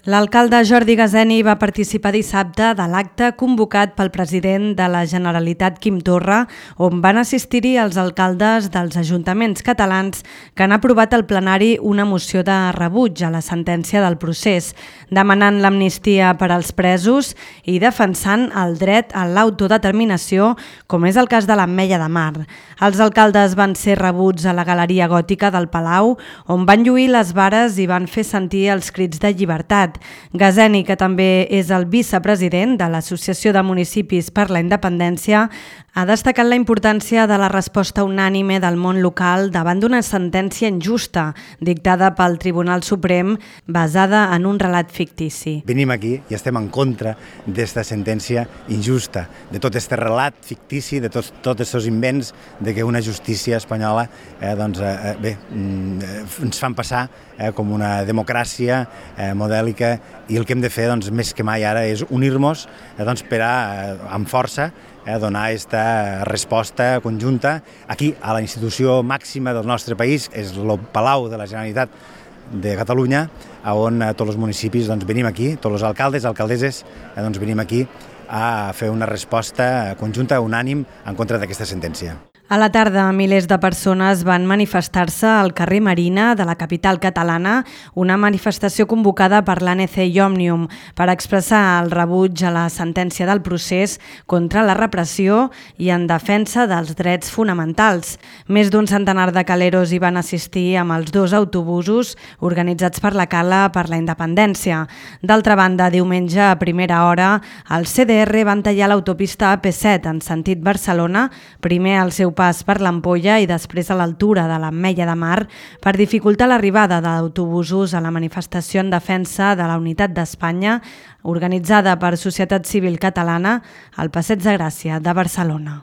L'alcalde Jordi Gazeni va participar dissabte de l'acte convocat pel president de la Generalitat Quim Torra, on van assistir-hi els alcaldes dels ajuntaments catalans que han aprovat al plenari una moció de rebuig a la sentència del procés, demanant l'amnistia per als presos i defensant el dret a l'autodeterminació, com és el cas de l'Ametlla de Mar. Els alcaldes van ser rebuts a la Galeria Gòtica del Palau, on van lluir les vares i van fer sentir els crits de llibertat. Gazeni, que també és el vicepresident de l'Associació de Municipis per la Independència, ha destacat la importància de la resposta unànime del món local davant d'una sentència injusta dictada pel Tribunal Suprem basada en un relat fictici. Venim aquí i estem en contra d'esta sentència injusta, de tot aquest relat fictici, de tots aquests invents de que una justícia espanyola ens fan passar com una democràcia modèlica, i el que hem de fer més que mai ara és unir-nos per amb força donar aquesta resposta conjunta aquí a la institució màxima del nostre país, és el Palau de la Generalitat de Catalunya, on tots els municipis venim aquí, tots els alcaldes i alcaldesses venim aquí a fer una resposta conjunta, unànim, en contra d'aquesta sentència. A la tarda, milers de persones van manifestar-se al carrer Marina de la capital catalana, una manifestació convocada per l'ANC i Òmnium per expressar el rebuig a la sentència del procés contra la repressió i en defensa dels drets fonamentals. Més d'un centenar de caleros hi van assistir amb els 2 autobusos organitzats per la Cala per la Independència. D'altra banda, diumenge a primera hora, els CDR van tallar l'autopista AP7 en sentit Barcelona, primer al seu pas per l'Ampolla i després a l'altura de l'Ametlla de Mar, per dificultar l'arribada d'autobusos a la manifestació en defensa de la unitat d'Espanya organitzada per Societat Civil Catalana al Passeig de Gràcia de Barcelona.